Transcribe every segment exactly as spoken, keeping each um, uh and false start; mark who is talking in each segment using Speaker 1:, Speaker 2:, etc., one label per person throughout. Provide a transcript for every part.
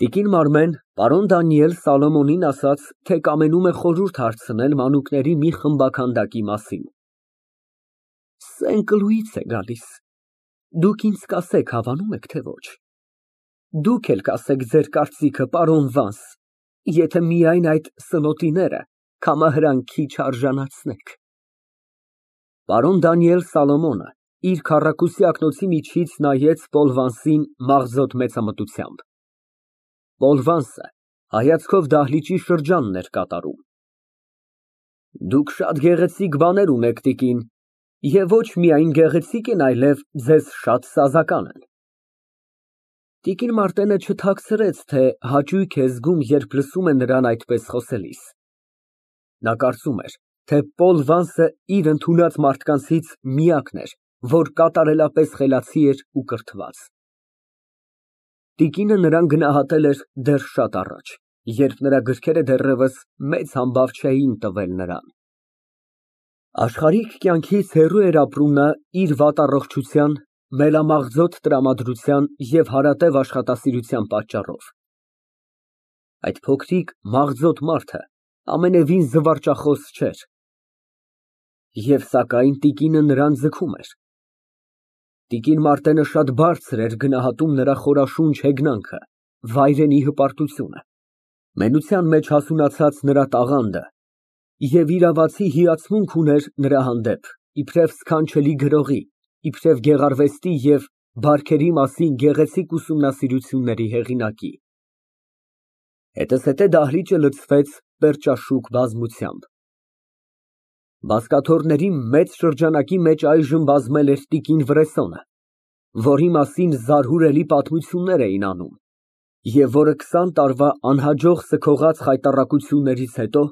Speaker 1: Տիկին Մարմեն պարոն Դանիել Սալոմոնին ասաց, թե կամենում է խորհուրդ հարցնել մանուկների մի խմբաքանդակի մասին։ Սենկլուից է գալիս, դուք ինձ կասեք հավանու՞մ եք, թե ոչ։ Դուք էլ կասեք ձեր կարծիքը, պարոն Վանս, եթե միայն այդ սնոտիները կամահրամքի չարժանացնեք։ Պարոն Դանիել Սալոմոնը իր քառակուսի ակնոցի միջից նայեց Պոլ Վանսին մաղձոտ մեծամտությամբ։ Պոլ Վանսը հայացքով դահլիճի շրջանն էր կատառում։ Դուք շատ գեղեցիկ բաներ ունեք, տիկին, և ոչ միայն գեղեցիկ են, այլև ձեզ շատ սազական են։ Տիկին Մարտենը չթաքցրեց, թե հաճույք է զգում, երբ լսում է նրան այդպես խոսելիս։ Նա կարծում էր, թե Պոլ Վանսը իր ընդունած մարդկանցից միակն էր, որ կատարելապես խելացի էր ու կրթված։ Տիկինը նրան գնահատել էր դեռ շատ առաջ, երբ նրա գրքերը դեռևս մեծ համբավ չէին տվել նրան։ Աշխարհիկ կյանքից հեռու էր ապրում նա իր վատառողջության, մելամաղձոտ տրամադրության և հարատև աշխատասիրության պատճառով։ Այդ փոքրիկ մաղձոտ մարդը ամենևին զվարճախոս չէր։ Եվ սակայն տիկինը նրան ձգում էր։ Տիկին Մարտենը շատ բարձր էր գնահատում նրա խորաշունչ հեգնանքը, վայրենի հպարտությունը, մենության մեջ հասունացած նրա տաղանդը և իրավացի հիացմունք ուներ նրա հանդեպ, իբրև սքանչելի գրողի, իբրև գեղարվեստի և բարքերի մասին գեղեցիկ ուսումնասիրությունների հեղինակի։ Հետզհետե դահլիճը լցվեց պերճաշուք բազմությամբ։ Բազկաթոռների մեծ շրջանակի մեջ այժմ բազմել էր տիկին Վրեսոնը, որի մասին զարհուրելի պատմություններ էին անում, և որը քսան տարվա անհաջող սգողած խայտառակություններից հետո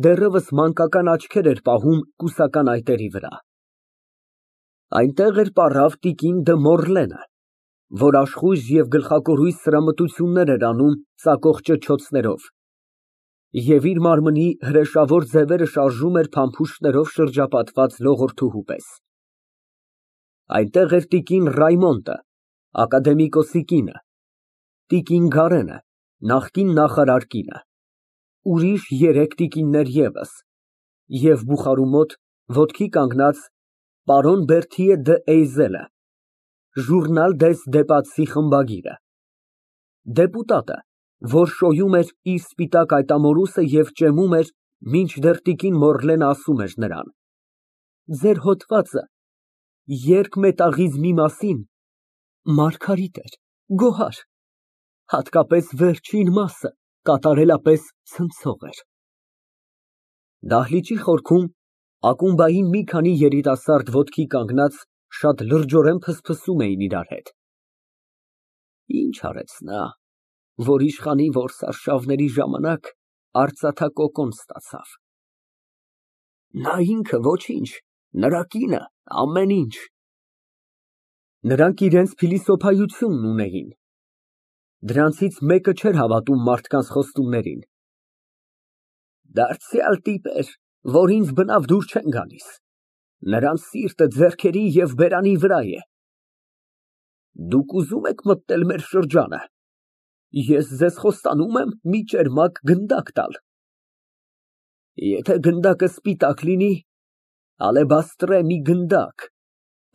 Speaker 1: դեռևս մանկական աչքեր էր պահում կուսական այտերի վրա։ Այնտեղ էր պառավ տիկին Դը Մորլենը, որ աշխույժ և գլխակորույս սրամտություններ էր անում ծակող ճչոցներով և իր մարմնի հրեշավոր ձևերը շարժում էր փամփուշտներով շրջապատված լողորթուհու պես։ Այնտեղ էր տիկին Ռայմոնդը, ակադեմիկոսի կինը, տիկին Գարենը, նախկին նախարար կինը, ուրիշ երեք տիկիններ ևս և բուխարու մոտ, ոտքի կանգնած, պարոն Բերթիե դ'Էյզելը, Ժուրնալ դես Դեպացի խմբագիրը, դեպուտատը, որ շոյում էր իր սպիտակ այտամորուսը և ճեմում էր, մինչդեռ տիկին Մորլենը ասում էր նրան. Ձեր հոդվածը երկմետաղիզմի մասին մարգարիտ էր, գոհար, հատկապես վերջին մասը կատարելապես ցնցող էր։ Դահլիճի խորքում ակումբային մի քանի երիտասարդ ոտքի կանգնած շատ լրջորեն ֆսֆսում էին իրար հետ։ Ինչ արեց նա, որ իշխանի որսարշավների ժամանակ արծաթակոկոն ստացավ։ Նա ինքը ոչինչ, նրա կինը ամեն ինչ։ Նրանք իրենց փիլիսոփայությունն ունեին։ Դրանցից մեկը չէր հավատում մարդկանց խոստումներին։ Դարձյալ տիպեր, որ ինձ բնավ դուր չեն գալիս, նրանց սիրտը ձեռքերի և բերանի վրա է։ Դուք ուզում եք մտնել մեր շրջանը, ես ձեզ խոստանում եմ մի ճերմակ գնդակ տալ։ Եթե գնդակը սպիտակ լինի, ալեբաստրե մի գնդակ,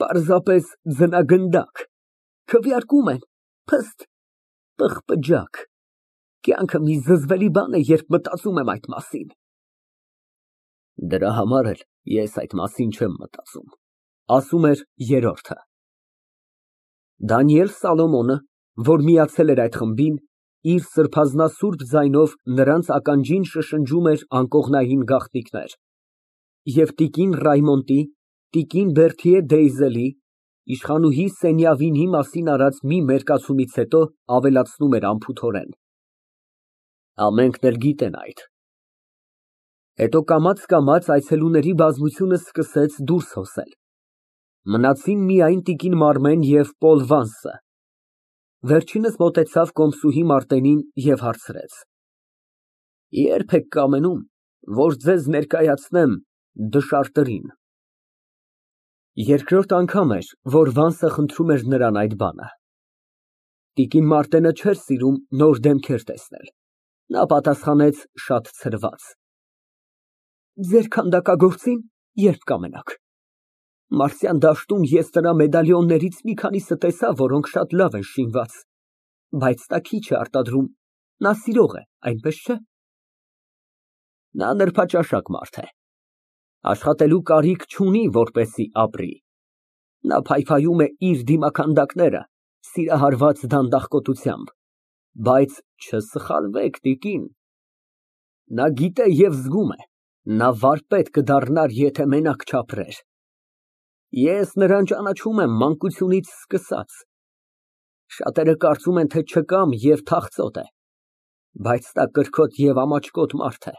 Speaker 1: պարզապես ձնագնդակ, քվեարկում են, փստ, պղպջակ, կյանքը մի զզվելի բան է, երբ մտածում եմ այդ մասին։ Դրա համար էլ ես այդ մասին չեմ մտածում, ասում էր երրորդը։ Դանիել Սալոմոնը, որ միացել էր այդ խմբին, իր սրբազնասուրբ ձայնով նրանց ականջին շշնջում էր անկողնային գաղտնիքներ և տիկին Ռայմոնդի, տիկին Բերթիե դ'Էյզելի, իշխանուհի Սենյավինի մասին արած մի մերկացումից հետո ավելացնում էր անփութորեն. Ամենքն էլ գիտեն այդ։ Հետո կամաց֊կամաց այցելուների բազմությունը սկսեց դուրս հոսել։ Մնացին միայն տիկին Մարմեն և Պոլ Վանսը։ Վերջինս մոտեցավ կոմսուհի Մարտենին և հարցրեց. Ե՞րբ եք կամենում, որ ձեզ ներկայացնեմ դշարտերին։ Երկրորդ անգամ էր, որ Վանսը խնդրում էր նրան այդ բանը։ Տիկին Մարտենը չէր սիրում նոր դեմքեր տեսնել, նա պատասխանեց շատ ցրված. Ձեր քանդակագործին երբ կամենաք։ Մարսյան դաշտում ես նրա մեդալիոններից մի քանիսը տեսա, որոնք շատ լավ են շինված, բայց նա քիչ է արտադրում, նա սիրող է, այնպես չէ՞։ Նա նրբաճաշակ մարդ է, աշխատելու կարիք չունի, որպեսզի ապրի, նա փայփայում է իր դիմաքանդակները սիրահարված դանդաղկոտությամբ, բայց չսխալվեք, տիկին, նա գիտե և զգում է, նա վարպետ կդառնար, եթե մենակ չապրեր։ Ես նրան ճանաչում եմ մանկությունից սկսած, շատերը կարծում են, թե չկամ և թախծոտ է, բայց նա կրքոտ և ամաչկոտ մարդ է,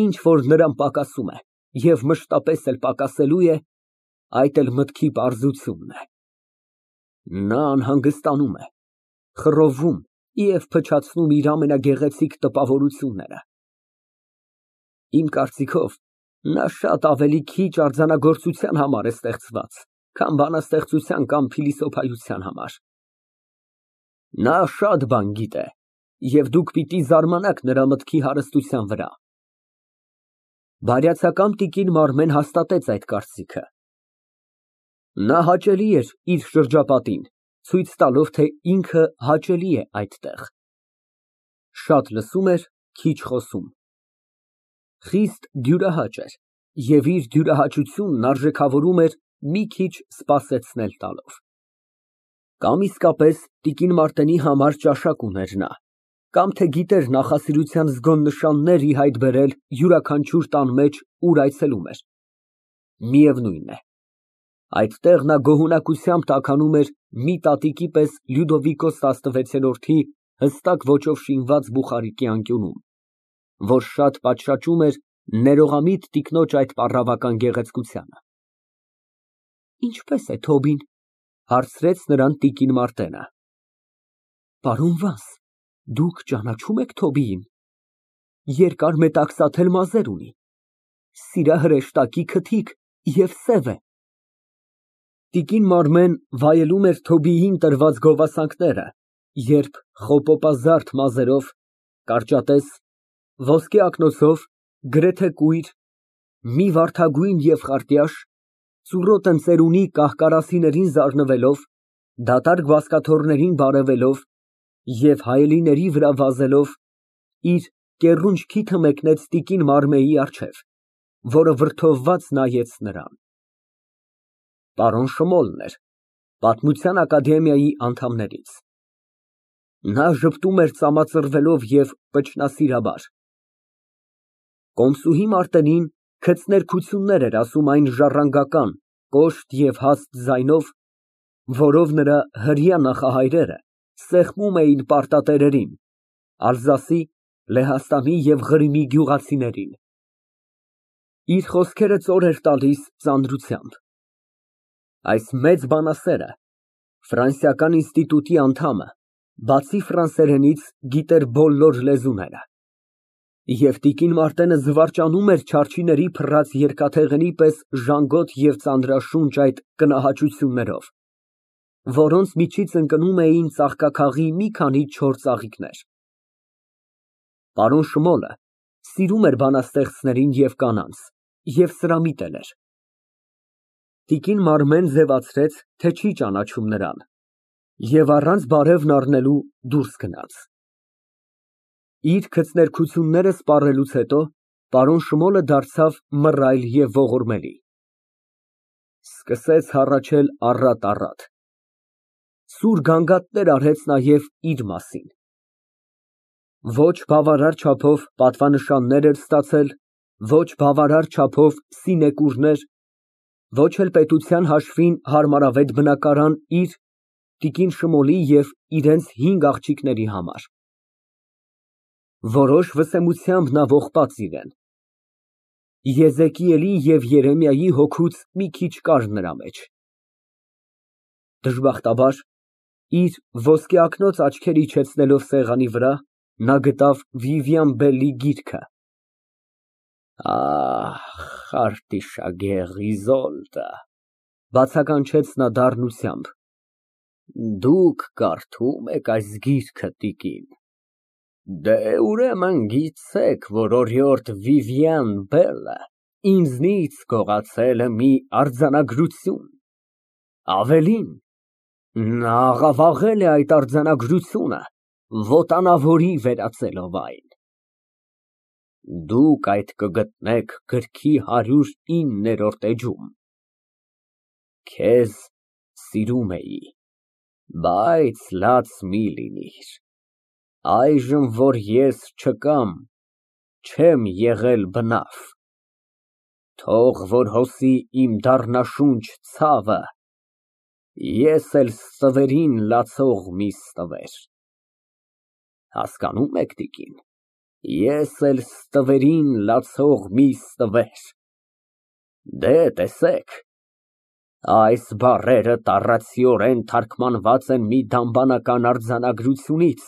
Speaker 1: ինչ որ նրան պակասում է և մշտապես էլ պակասելու է, այդ էլ մտքի պարզությունն է։ Նա անհանգստանում է, խռովում և փչացնում իր ամենագեղեցիկ տպավորությունները։ Իմ կարծիքով, նա շատ ավելի քիչ արձանագործության համար է ստեղծված, քան բանաստեղծության կամ փիլիսոփայության համար։ Նա շատ բան գիտե և դուք պիտի զարմանաք նրա մտքի հարստության վրա։ Բարյացակամ տիկին Մարմեն հաստատեց այդ կարծիքը։ Նա հաճելի էր իր շրջապատին, ցույց տալով, թե ինքը հաճելի է այդտեղ։ Շատ լսում էր, քիչ խոսում։ Խիստ դյուրահաճ էր և իր դյուրահաճությունն արժեքավորում էր մի քիչ սպասեցնել տալով։ Կամ իսկապես տիկին Մարտենի համար ճաշակ ուներ նա, կամ թե գիտեր նախասիրության զգոն նշաններ ի հայտ բերել յուրաքանչյուր տան մեջ, ուր այցելում էր։ Միևնույն է, այդտեղ նա գոհունակությամբ տաքանում էր մի տատիկի պես Լյուդովիկոս տասնվեցերորդի հստակ ոճով շինված բուխարիկի անկյունում, որ շատ պատշաճում էր ներողամիտ տիկնոջ այդ պառավական գեղեցկությանը։ Ինչպե՞ս է Թոբին, հարցրեց նրան տիկին Մարտենը։ Պարոն Վանս, դուք ճանաչո՞ւմ եք Թոբիին։ Երկար մետաքսաթել մազեր ունի, սիրահրեշտակի քթիկ և սև է։ Տիկին Մարմեն վայելում էր Թոբիին տրված գովասանքները, երբ խոպոպազարդ մազերով, կարճատես, ոսկե ակնոցով, գրեթե կույր, մի վարդագույն և խարտյաշ, ծուռոտ ընձերունի կահ֊կարասիներին զարնվելով, դատարկ բազկաթոռներին բարևելով և հայելիների վրա վազելով, իր կեռունջ քիթը մեկնեց տիկին Մարմեի առջև, որը վրդովված նայեց նրան։ Պարոն Շմուլն էր, Պատմության ակադեմիայի անդամներից։ Նա ժպտում էր ծամածռվելով և վճռասիրաբար։ Կոմսուհի Մարտենին քծներքություններ էր ասում այն ժառանգական, կոշտ և հաստ ձայնով, որով նրա հրեա նախահայրերը սեղմում էին պարտատերերին, Ալզասի, Լեհաստանի և Ղրիմի գյուղացիներին։ Իր խոսքերը ծոր էր տալիս ծանրությամբ։ Այս մեծ բանասերը, ֆրանսիական ինստիտուտի անդամը, բացի ֆրանսերենից, գիտեր բոլոր լեզուները։ Եվ տիկին Մարտենը զվարճանում էր չարչիների փռած երկաթեղենի պես ժանգոտ և ծանրաշունչ այդ կնահաճություններով, որոնց միջից ընկնում էին ծաղկաքաղի մի քանի չոր ծաղիկներ։ Պարոն Շմուլը սիրում էր բանաստեղծներին և կանանց և սրամիտ էլ էր։ Տիկին Մարմեն ձևացրեց, թե չի ճանաչում նրան, և առանց բարևն առնելու դուրս գնաց։ Իր քծներքությունները սպառելուց հետո պարոն Շմուլը դարձավ մռայլ և ողորմելի։ Սկսեց հառաչել առատ֊առատ։ Սուր գանգատներ արեց նաև իր մասին։ Ոչ բավարար չափով պատվանշաններ էր ստացել, ոչ բավարար չափով սինեկուրներ, ոչ էլ պետության հաշվին հարմարավետ բնակարան իր, տիկին Շմուլի և իրենց հինգ աղջիկների համար։ Որոշ վսեմությամբ նա ողբաց իրան։ Եզեկիելի և Երեմիայի հոգուց մի քիչ կար նրա մեջ։ Դժբախտաբար, իր ոսկեակնոց աչքեր իջեցնելով սեղանի վրա, նա գտավ Վիվիան Բելի գիրքը։ Ահ, Խարտիշագեղ Իզոլդը, բացականչեց նա դառնությամբ։ Դուք կարդում եք այս գիրքը, տիկին, դե, ուրեմն գիտեք, որ օրիորդ Վիվիան Բելը ինձնից գողացել է մի արձանագրություն, ավելին, նա աղավաղել է այդ արձանագրությունը, ոտանավորի վերածելով այն։ Դուք այդ կգտնեք գրքի հարյուր իններորդ էջում։ Քեզ սիրում էի, բայց լաց մի լինիր, այժմ, որ ես չկամ, չեմ եղել բնավ, թող որ հոսի իմ դառնաշունչ ցավը, ես էլ ստվերին լացող միս տվեր, հասկանո՞ւմ եք, տիկին, ես էլ ստվերին լացող միս տվեր, դե, տեսեք, այս բառերը տառացիորեն թարգմանված են մի դամբանական արձանագրությունից,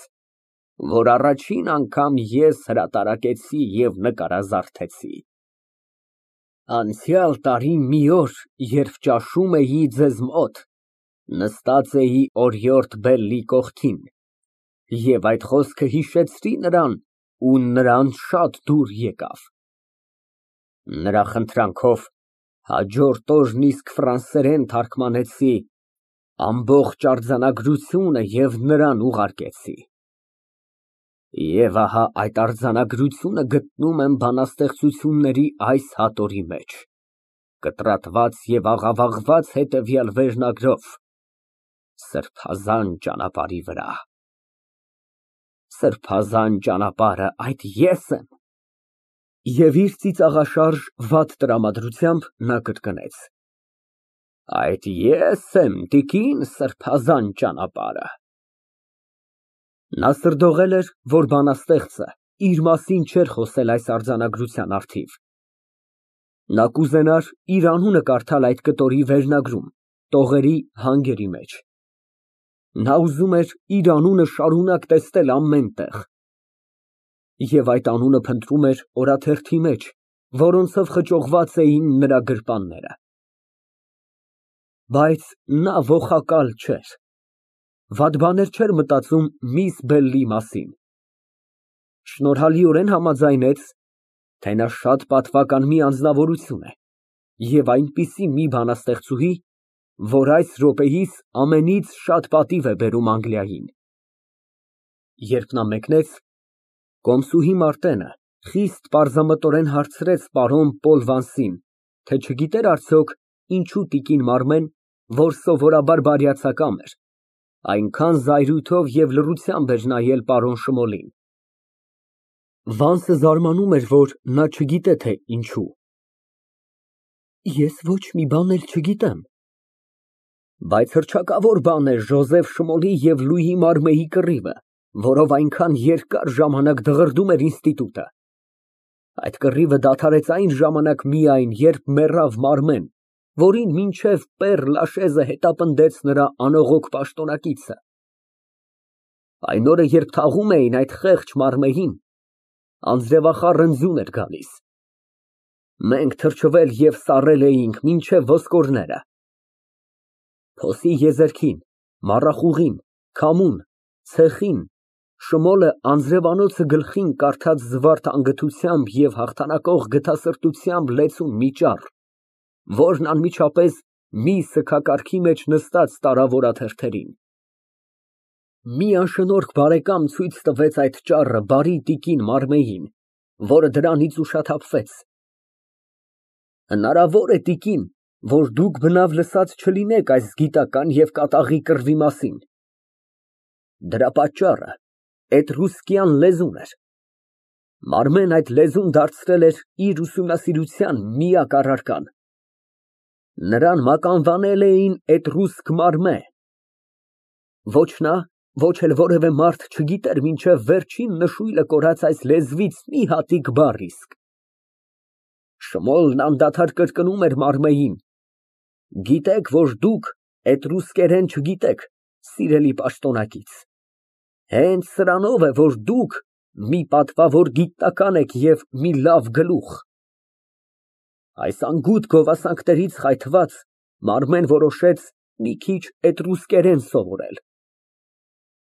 Speaker 1: որ առաջին անգամ ես հրատարակեցի և նկարազարդեցի։ Անցյալ տարի մի օր, երբ ճաշում էի ձեզ մոտ, նստած էի օրիորդ Բելլի կողքին, և այդ խոսքը հիշեցրի նրան ու նրան շատ դուր եկավ։ Նրա խնդրանքով հաջորդ օրն իսկ ֆրանսերեն թարգմանեցի ամբողջ արձանագրությունը և նրան ուղարկեցի։ Եվ ահա այդ արձանագրությունը գտնում եմ բանաստեղծությունների այս հատորի մեջ, կտրատված և աղավաղված հետևյալ վերնագրով «Սրբազան ճանապարհի վրա»։ Սրբազան ճանապարհը այդ ե՞ս եմ։ Եվ իր ծիծաղաշարժ վատ տրամադրությամբ նա կրկնեց. Այդ ես եմ, տիկին, սրբազան ճանապարհը։ Նա սրդողել էր, որ բանաստեղծը իր մասին չէր խոսել այս արձանագրության առթիվ։ Նա կուզենար իր անունը կարդալ այդ կտորի վերնագրում, տողերի հանգերի մեջ։ Նա ուզում էր իր անունը շարունակ տեսնել ամեն տեղ։ Եվ այդ անունը փնտրում էր օրաթերթի մեջ, որոնցով խճողված էին նրա գրպանները։ Բայց նա ոխակալ չէր, վատ բաներ չէր մտածում միս Բելլի մասին։ Շնորհալիորեն համաձայնեց, թե նա շատ պատվական մի անձնավորություն է և այնպիսի մի բանաստեղծուհի, որ այս րոպեիս ամենից շատ պատիվ է բերում Անգլիային։ Երբ նա մեկնեց, կոմսուհի Մարտենը խիստ պարզամտորեն հարցրեց պարոն Պոլ Վանսին, թե չգիտեր արդյոք ինչու տիկին Մարմեն, որ սովորաբար բարյացակամ էր, այնքան զայրույթով և լռությամբ էր նայել պարոն Շմոլին։ Վանսը զարմանում էր, որ նա չգիտե, թե ինչու։ Ես ոչ մի բան էլ չգիտեմ։ Բայց հռչակավոր բան է Ժոզեֆ Շմոլի և Լուի Մարմեի կռիվը, որով այնքան երկար ժամանակ դղրդում էր ինստիտուտը։ Այդ կռիվը դադարեց այն ժամանակ միայն, երբ մեռավ Մարմեն, որին մինչև Պեր Լաշեզը հետապնդեց նրա անողոք պաշտոնակիցը։ Այն օրը, երբ թաղում էին այդ խեղճ Մարմեին, անձրևախառն ձյուն էր գալիս։ Մենք թրջվել և սառել էինք մինչև ոսկորները։ Փոսի եզերքին, մառախուղին, քամուն, ցեխին, Շմոլը անձրևանոցը գլխին կարդաց զվարթ անգթությամբ և հաղթանակող գթասրտությամբ լեցուն մի ճառ, որն անմիջապես մի սգակարքի մեջ նստած տարավ օրաթերթերին։ Մի անշնորհք բարեկամ ցույց տվեց այդ ճառը բարի տիկին Մարմեին, որը դրանից ուշաթափվեց։ Հնարավոր է, տիկին, որ դուք բնավ լսած չլինեք այս գիտական և կատաղի կռվի մասին։ Դրա պատճառը էտրուսկյան լեզուն էր։ Մարմեն այդ լեզուն դարձրել էր իր ուսումնասիրության միակ առարկան։ Նրան մականվանել էին Էտրուսկ Մարմե։ Ոչ նա, ոչ էլ որևէ մարդ չգիտեր մինչև վերջին նշույլը կորած այս լեզվից մի հատիկ բառ իսկ։ Շմոլն անդադար կրկնում էր Մարմեին. «Գիտեք, որ դուք էտրուսկերեն չգիտեք, սիրելի պաշտոնակից։ Հենց սրանով է, որ դուք մի պատվավոր գիտնական եք և մի լավ գլուխ»։ Այս անգութ գովասանքներից խայթված Մարմեն որոշեց մի քիչ էտրուսկերեն սովորել։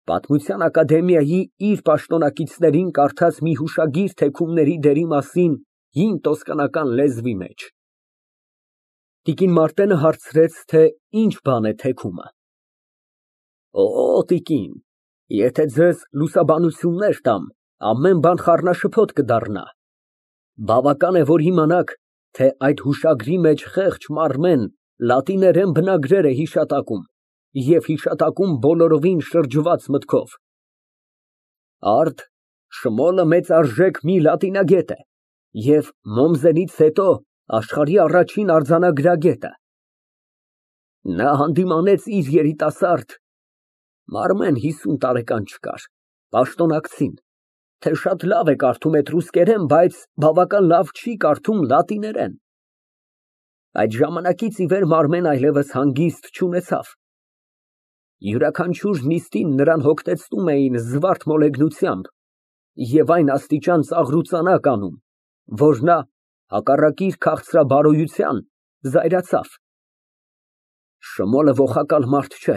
Speaker 1: Պատմության ակադեմիայի իր պաշտոնակիցներին կարդաց մի հուշագիր թեքումների դերի մասին հին տոսկանական լեզվի մեջ։ Տիկին Մարտենը հարցրեց, թե ինչ բան է թեքումը։ Օ, տիկին, եթե ձեզ լուսաբանություններ տամ, ամեն բան խառնաշփոթ կդառնա։ Բավական է, որ իմանաք, թե այդ հուշագրի մեջ խեղճ Մարմեն լատիներեն բնագրեր է հիշատակում և հիշատակում բոլորովին շրջված մտքով։ Արդ Շմոլը մեծարժեք մի լատինագետ է և Մոմզենից հետո աշխարհի առաջին արձանագրագետը։ Նա հանդիմանեց իր երիտասարդ Մարմեն հիսուն տարեկան չկար, պաշտոնակցին, թե շատ լավ է կարդում էտրուսկերեն, բայց բավական լավ չի կարդում լատիներեն։ Այդ ժամանակից ի վեր Մարմեն այլևս հանգիստ չունեցավ։ Յուրաքանչյուր նիստին նրան հոգնեցնում էին զվարթ մոլեգնությամբ և այն աստիճան ծաղրուծանակ անում, որ նա, հակառակ իր քաղցրաբարոյության, զայրացավ։ Շմոլը ոխակալ մարդ չէ,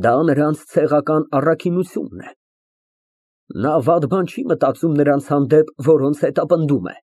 Speaker 1: դա նրանց ցեղական առաքինությունն է։ Նա վատ բան չի մտածում նրանց հանդեպ, որոնց հետապնդում է։